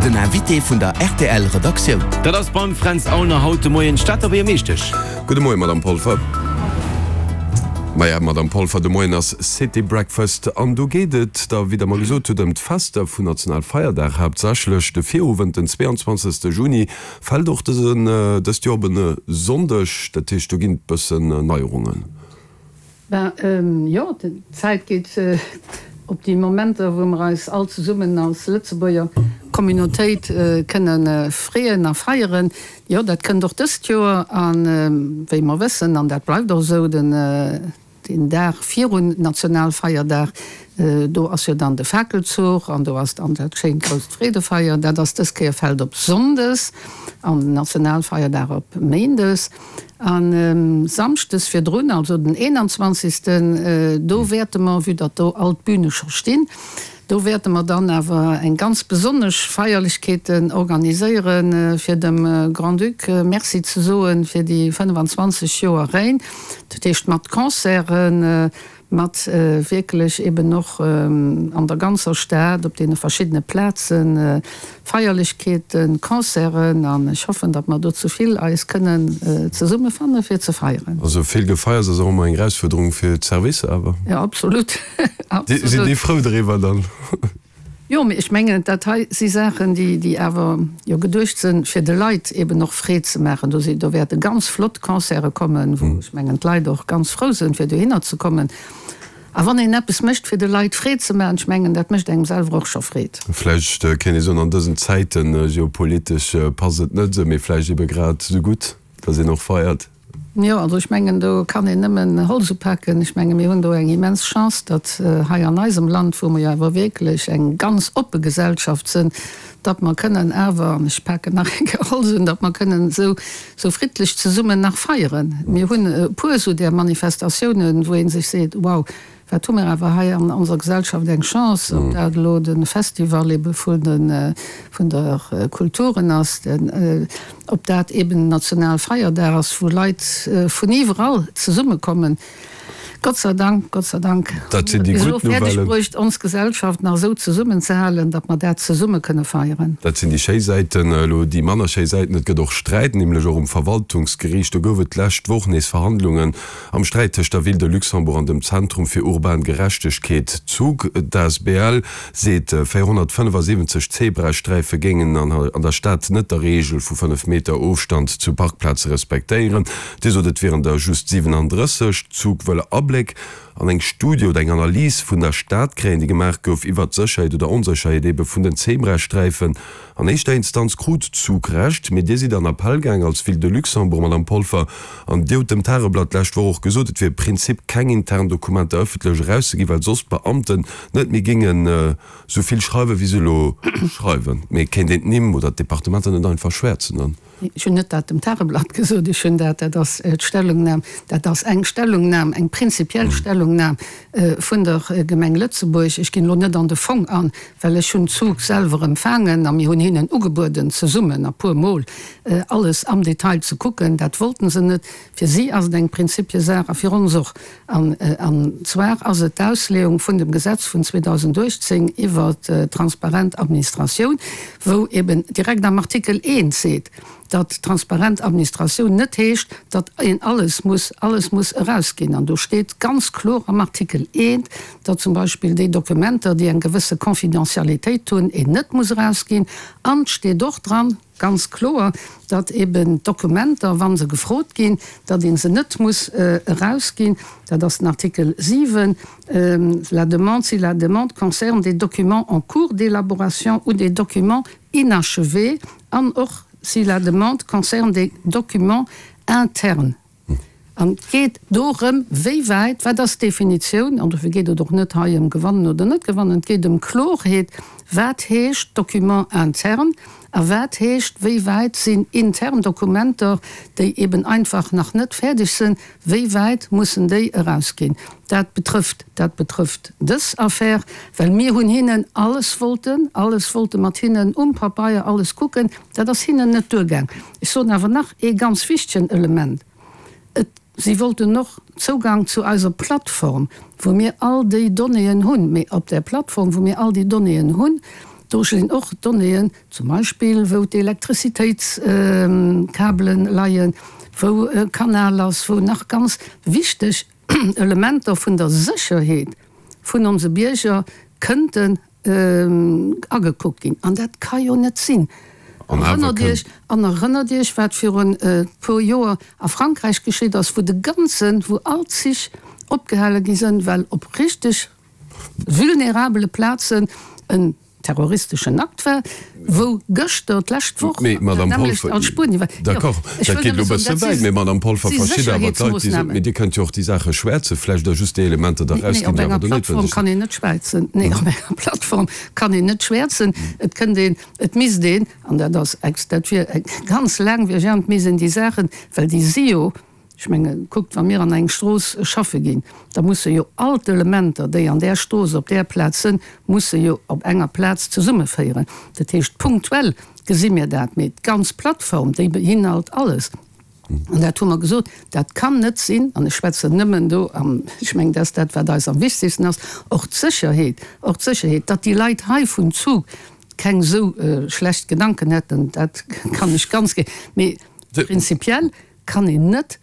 Den Invité vun der rtl Redaktioun. Dat ass beim Fränz Aulner haut de Moien d'Stater Buergermeeschtesch. Gudde Moien, Madame Polfer. Maja, Madame Polfer, de Moien ass City Breakfast an do geet et da, wéi Der mer gesot hutt, ëm d'Fester vun Nationalfeierdag haaptsächlech. De Virowend, den 22. Juni, fält och dësen dëst Joer op en Sonndeg. Dat heescht, do ginn et bëssen Neierungen. Ben jo, d'Zäit geet op déi Momenter, wou mer eis all zesummen als Lëtzebuerger Communautéit kënne freeën a feieren. Jo, dat kënnt och dëst Joer. A wéi mer wëssen, an dat bleift och esou, den Dag virun Nationalfeierdag, do ass jo dann de Fakelzuch an do ass dann dat schéint grousst Freedefeier. Dat ass dës Kéier fält op Sonndes an den Nationalfeierdag op Méindes. A Samschdes virdrun, also den 21. Do wäerte mer, vue datt do all d'Bühne scho stinn, do wäerte mer dann awer eng ganz besonnesch Feierlechkeeten organiséiere fir dem Grand-Duc Merci ze soe fir déi 25 Joer Règne. Dat heescht mat Concerten, mat wierklech eben och an der ganzer Stad op deene verschiddene Plaze Feierlechkeeten, Concerten an ech hoffen, datt mer do zu vill eis kënnen zesummefanne fir ze feieren. Also vill Gefeiers ass och ëmmer eng Erausfuerderung fir d'Servicer awer. Jo, absolut, absolut. Sinn déi frou driwwer dann? Jo, mee ech mengen, dat hei si Saachen, déi, déi awer jo geduecht sinn, fir de Leit eben och Freed ze maachen. Do si, do wäerte ganz flott Concerte kommen, wou ech mengen, d'Leit och ganz frou sinn, fir dohinner ze kommen. A wann een eppes mécht, fir de Leit Freed ze maachen, ech mengen, dat mécht engem selwer och scho Freed. Vläicht kéint ee soen, an dësen Zäiten, geopolitesch passt et net esou, mee vläicht ebe grad esou gutt, datt een och feiert. Jo, also ech mengen, do kann een nëmmen Holz upaken. Ech menge mir hunn do eng immens Chance, datt hei an eisem Land, wou mer jo awer wierklech eng ganz oppe Gesellschaft sënn, datt mer kënnen awer, an ech paken nach eng Kéier Holz un, datt mer kënnen esou, esou friddlech zesummen nach feieren. Mir hunn e puer esou där Manifestatiounen, wou ee sech seet, Wow, Wat hu mir awer hei an onser Gesellschaft eng Chance, ob dat elo de Festival ebe vun de vun der Kulturen ass, ob dat eben den Nationalfeierdag ass, wou Leit vun iwwerall zesummekommen. Gott sei Dank, Gott sei Dank hu mir et bis elo fäerdeg bruecht, ons Gesellschaft nach esou zesummenzehalen, datt mer dat zesumme kënne feieren. Dat sinn déi schéi Säiten. Elo déi manner schéi Säiten, Et gëtt och Sträit, nämlech och um Verwaltungsgeriicht. Do gouf et d'lescht Woch nees Verhandlungen Am Sträit tëscht der Ville de Luxembourg an dem Zentrum fir urban Gerechtegkeet, ZUG, d'ASBL seet, 475 Zebrasträife géingen an der Stad net der Reegel vu 5 Meter Ofstand zu Parkplaze respektéieren. Dir sot, et wieren der just 37. D'ZUG wëll Abléck an eng Studie oder eng Analys vun der Stad kréien, déi gemaach gouf iwwert d'Sécherheet oder Onsécherheet ebe vun den Zebrasträifen. An éischter Instanz krut d'ZUG Recht, mee Dir sidd an Appell gaang als Ville de Luxembourg, Madame Polfer, an Dir hutt dem Tageblatt d'lescht Woch och gesot, et wier Prinzip keng intern Dokumenter ëffentlech erauszeginn, well soss d'Beamten net méi géingen esou vill schreiwen, wéi se elo schreiwen. Mee kéint een d'Nimm oder d'Departementer net einfach schwäerzen dann? Ech hunn net dat dem Tageblatt gesot, ech hunn dat, dat ass d'Stellungnam, dat ass eng Stellungnam, eng prinzipiell Stellungnam vun der Gemeng Lëtzebuerg. Ech ginn elo net an de Fong an, well ech hunn d'Zug selwer empfaangen a mir hunn hinnen ugebueden, zesummen a puer Mol alles am Detail ze kucken. Dat wollten se net. Fir si ass et eng Prinzipiesaach a fir ons och. An zwar ass et d'Ausleeung vun dem Gesetz vun 2018 iwwer d'transparent Administratioun, wou eben direkt am Artikel 1 seet, datt transparent Administratioun net heescht, datt een alles muss, alles muss erausginn. An do steet ganz kloer am Artikel 1, datt zum Beispill déi Dokumenter, déi eng gewësse Confidentialitéit hunn, een net muss erausginn. An et steet och dran, Ganz kloer, datt eben d'Dokumenter, wa se gefrot ginn, datt ee se net muss erausginn. Dat ass den Artikel 7, La demande, si la demande concerne des documents en cours d'élaboration ou des documents inachevés an och si la demande concerne des documents internes. An et geet dorëm, wéi wäit, wat ass d'Definitioun, an dofir geet et och net hei ëm gewannen oder net gewannen, et geet ëm Klorheet, wat heescht Document interne a wat heescht, wéi wäit sinn intern Dokumenter, déi eben einfach nach net fäerdeg sinn, wéi wäit mussen déi erausginn. Dat betrëfft, dat betrëfft dës Affär, well mir hunn hinnen alles wollten, alles wollte mat hinnen um Papeier alles kucken, dat ass hinnen net duergaang. Ech soen awer nach ee ganz wichtegen Element, Et, si wollten och Zougang zu eiser Plattform, wou mir all déi Donnéeën hunn. Mee op där Plattform, wou mir all déi Donnéeën hunn, Do sinn och Donnéeën, zum Beispill wou d'Elektrizitéitskabelen leien, wou e Kanal ass, wou nach ganz wichteg Elementer vun der Sécherheet vun onse Bierger kënnten agekuckt ginn. An dat ka jo net sinn. Erënnert Iech, an erënnert Iech, wat virun e puer Joer a Frankräich geschitt ass, wou de ganzen, wou all d'Zich opgehale gi sënn, well op richteg vulnerabele Plazen en terroristeschen Akt war, wou gëschter, d'lescht Woch, Mee, dat Madame nämmlecht Polfer, an Spuenien war. Jo, d'accord, ech dat wëll geet elo nëmme e soen, bësse dat wäit, si mee Madame Polfer, verschidde awer d'Leit, déi soen, Sécherheetsmoossnamen. mee Dir kënnt jo och déi Saache schwäerzen, vläicht da just déi Elementer da Nee, erausginn, op déi awer enger do Plattform noutwendeg kann sinn. een net schwäizen. Nee, op enger Plattform kann een net schwäerzen. Et kënnt een, et misst een, an dat ass ex, dat wier eng ganz laangwiereg, et misst een déi Saachen, well déi si jo, Ech mengen, kuckt, wa mir an eng Strooss schaffe ginn, da musse jo all d'Elementer, déi an där Strooss op där Plaz sënn, musse jo op enger Plaz zesummeféieren. Dat heescht, punktuell gesi mir dat, mee d'ganz Plattform, déi beinhalt alles. An dat hu mer gesot, dat kann net sinn, an ech schwätzen nëmmen do, an ech mengen, dat ass dat, wat eis am wichtegsten ass, och d'Sécherheet, och d'Sécherheet, datt déi Leit hei vun Zug keng esou schlecht Gedanken hätten, dat kann ech ganz, mee prinzipiell Kann een net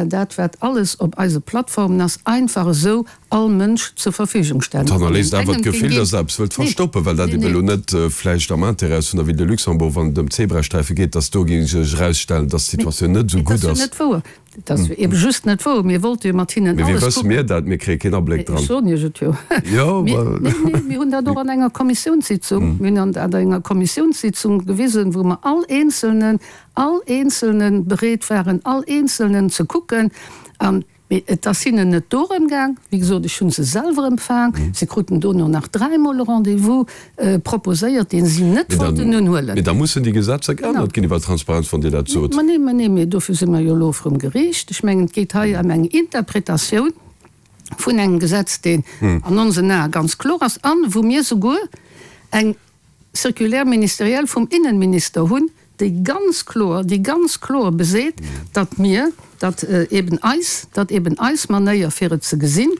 dat, wat alles op eise Plattformen ass, einfach esou all Mënsch zur Verfügung stellen. Et hannerléisst awer d'Gefill, dass Der eppes wëllt verstoppen, well dat eben elo net vläicht am Intérêt ass vun der Ville de Luxembourg, wann et ëm d'Zebrasträife geet, dass do géing sech erausstellen, dass d'Situatioun net esou Mee dat gutt ass jo ass. net wouer. Dat ass jo ebe just net wouer. Mir wollte jo mat hinnen Mee wéi alles wësse kucken. mir dat? Mir kréie keen Abléck Mee dran. ech soen Iech et jo. Jo, Mir, ma. nee, nee, mir hunn dat och an enger Kommissiounssitzung, mir hunn dat an enger Kommissiounssitzung gewisen, wou mer all Eenzelnen, all Eenzelnen bereet waren, all Eenzelnen ze kucken. An, mee et ass hinnen net dorëm gaang. Wéi gesot, ech hu se selwer empfaang. Si kruten dono nach dräimol e Rendez-vous proposéiert, dee si net wollten unhuelen. Mee da mussen déi Gesetzer geännert ginn iwwer Transparenz, wann Dir dat sot. Ma nee, ma nee, mee dofir si mer jo elo vrum Geriicht. Ech mengen, et geet hei ëm eng Interpretatioun vun engem Gesetz, deen an onsen Ae ganz kloer ass an wou mir souguer eng Circulaire ministérielle vum Innenminister hunn, déi ganz kloer, déi ganz kloer beseet, datt mir, datt eben eis, datt eben eis Manéier fir et ze gesinn,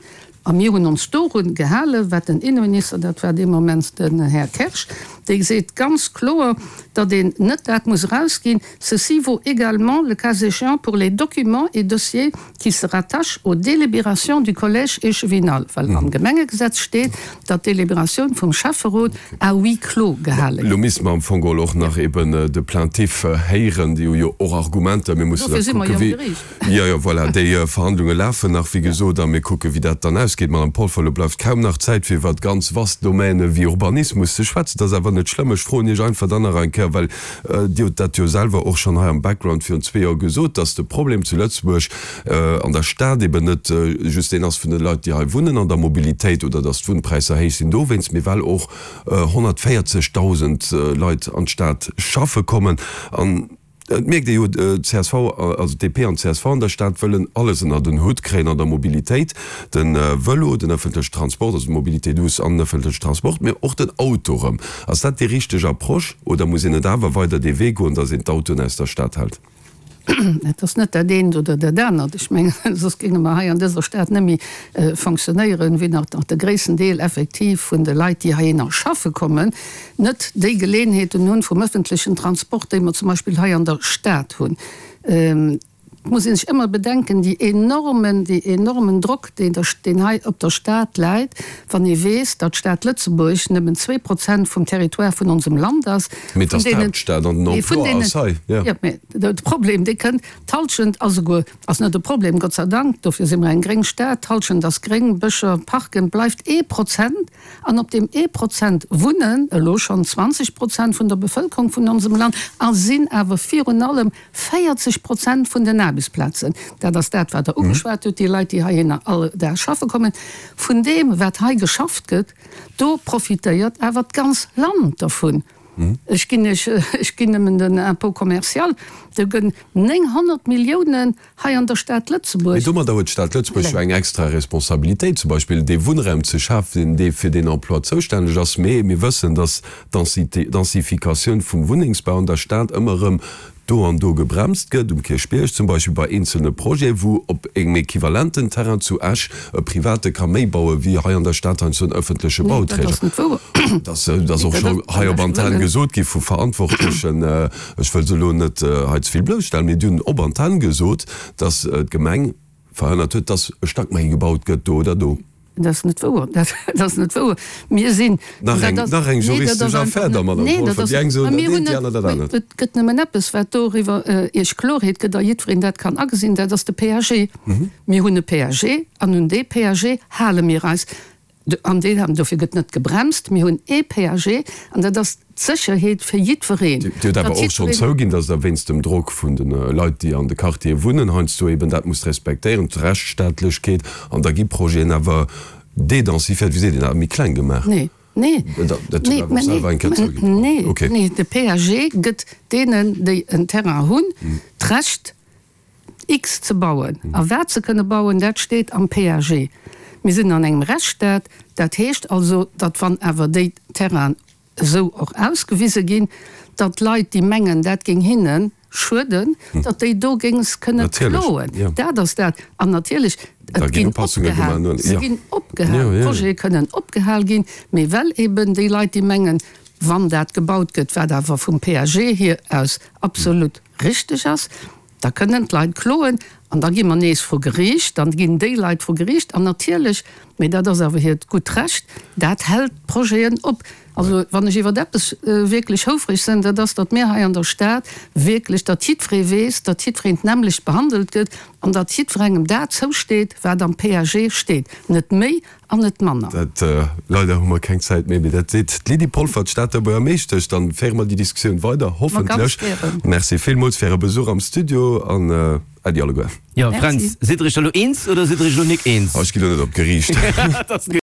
a mir hunn ons dorun gehalen, wat den Innenminister, dat war dee Moment den Här Kersch, dee seet ganz kloer, datt een net dat muss erausginn, Ceci vaut également, le cas échéant, pour les documents et dossiers qui se rattachent aux délibérations du Collège échevinal, well am Gemengegesetz steet, datt d'Délibératioun vum Schäfferot à huis clos gehale Elo gëtt. misste mer am Fong geholl och nach eben de Plaintif héieren. Déi hu jo och Argumenter. Mir mussen Dofir da si mer kucken, jo am wéi. Geriicht. Jo, jo, voilà, déi Verhandlunge lafen nach, wéi gesot, a mir kucken, wéi dat dann ausgeet. Madame Polfer, elo bleift kaum nach Zäit, fir iwwert ganz vast Domäne wéi Urbanismus ze schwätzen. Dat ass awer net schlëmm. Ech froen Iech einfach dann nach eng Kéier, well Dir hutt dat jo selwer och schonn hei am Background virun zwee Joer gesot, dass de Problem zu Lëtzebuerg an der Stad eben net just deen ass vun de Leit, déi hei wunnen an der Mobilitéit oder dass d'Wunnpräisser héich sinn dowéinst, mee well och 140.000 Leit an d'Stad schaffe kommen. An et mierkt ee jo, d'CSV, also d'DP an d'CSV an der Stad wëllen alles ënnert en Hutt kréien an der Mobilitéit, de Vëlo, den ëffentlechen Transport, also d'Mobilité douce an den ëffentlechen Transport, mee och den Auto erëm. Ass dat déi richteg Approche oder muss een net awer weider dee Wee goen, datt een d'Autoen aus der Stad hält? Et ass net dat eent oder dat anert. Ech mengen, soss géinge mer hei an dëser Stad net méi fonctionnéieren, wéi nach de gréissten Deel effektiv vun de Leit, déi heihinner schaffe kommen, net déi Geleenheeten hunn vum öffentlechen Transport, déi mer zum Beispill hei an der Stad hunn. Et muss ee sech ëmmer bedenken, déi enormen, dee enormen Drock, deen der, deen hei op der Stad läit, wann ee weess, datt d'Stad Lëtzebuerg nëmmen 2% vum Territoire vun onsem Land ass, Mee et vun ass deenen, d'Haaptstad an den mee vun Emploi deenen, ass hei, jo. jo, mee de Problem, dee kënnt, d'Halschent ass esouguer, ass net e Problem, Gott sei Dank, dofir si mer eng gréng Stad, d'Halschent ass gréng, Bëscher, Parken, bleift ee Prozent, an op deem ee Prozent wunnen elo schonn 20 Prozent vun der Bevëlkerung vun onsem Land a sinn awer virun allem 40 Prozent vun den Aarbechtsplazen, dat ass dat, wat Der ugeschwat hutt, déi Leit, déi heihinner all Dag schaffe kommen, vun deem, wat hei geschafft gëtt, do profitéiert awer d'ganz Land dervun. Ech ginn Iech, ech ginn nëmmen den Impôt commercial, do gënn 900 Milliounen hei an der Stad Mee Lëtzebuerg. domadder huet d'Stad Lëtzebuerg jo eng extra Responsabilitéit, zum Beispill dee Wunnraum ze schafen, dee fir deen Emploi zoustänneg ass. Mee mir wëssen, dass d'Densifikatioun vum Wunnengsbau an der Stad ëmmer erëm. do an do gebremst gëtt, um Kierchbierg zum Beispill bei eenzelne Projeten, wou op engem equivalenten Terrain zu Esch e Private ka méi baue wéi hei an der Stad heiansdo en ëffentleche Nee, dat Bauträger. ass net wouer. Dat ass och scho hei op Antenn gesot gi vu Verantwortlechen. Ech wëll se elo net hei ze vill blousstellen, mee déi hunn op Antenn gesot, datt d'Gemeng verhënnert huet, datt e Stack méi gebaut gëtt do oder do. Dat ass net wouer. Dat ass net wouer. Mir sinn. Nach eng, nach eng juristesch Affär da, Madame Polfer. Déi eng soen dat eent, déi aner dat anert. Et gëtt nëmmen eppes, wat doriwwer Iech Klorheet gëtt a jiddwereen dat kann agesinn, dat ass de PAG. Mir hunn e PAG an un dee PAG hale mir eis. An deen, an dofir gëtt net gebremst. Mir hunn ee PAG an dat ass d'Sécherheet fir jiddwereen. Dir hutt awer och schonn zouginn, datt Der wéinst dem Drock vun de Leit, déi an de Quartiere wunnen, heiansdo eben dat musst respektéieren, d'Rechtsstaatlechkeet, an da gi Projeten awer dédensifiéiert, wéi seet een dat, méi kleng gemaach. Nee, nee, Dat hutt Der awer och selwer eng Kéier zouginn. Nee, nee, de PAG gëtt deenen, déi en Terrain hunn, d'Recht, X ze bauen. A wat se kënne bauen, dat steet am PAG. Mir sinn an engem Rechtsstaat. Dat heescht also, datt wann awer déi Terrainen esou och ausgewise ginn, datt Leit, déi mengen, dat géing hinne schueden, datt déi dogéinst kënne kloen. Dat ass dat. An natierlech, et ginn opgehal, se ginn opgehal, d'Projete kënnen opgehal ginn, mee well eben déi Leit, déi mengen, wann dat gebaut gëtt, wat awer vum PAG hier aus absolut richteg ass, da kënnen d'Leit kloen an da gi mer nees vru Geriicht, dann ginn déi Leit vru Geriicht an natierlech, mee dat ass awer hiert gutt Recht, dat hält d'Projeten op. Also wann ech iwwer eppes wierklech houfreg sinn, dat ass, datt mir hei an der Stad wierklech, datt jiddweree weess, datt jiddwereen d'nämmlecht behandelt gëtt an datt jiddwerengem dat zousteet, wat am PAG steet, net méi An net manner. Dat, leider hu mer keng Zäit méi, mee dat seet d'Lydie Polfer, d'Stater Buergermeeschtesch. Dann féiere mer déi Diskussioun weider, hoffentlech. Merci villmools fir Äre Besuch am Studio an Äddi alleguer. Jo, Fränz, sidd Der Iech da lo eens oder sidd Der Iech lo nik eens? Ech ginn lo net op d'Geriicht.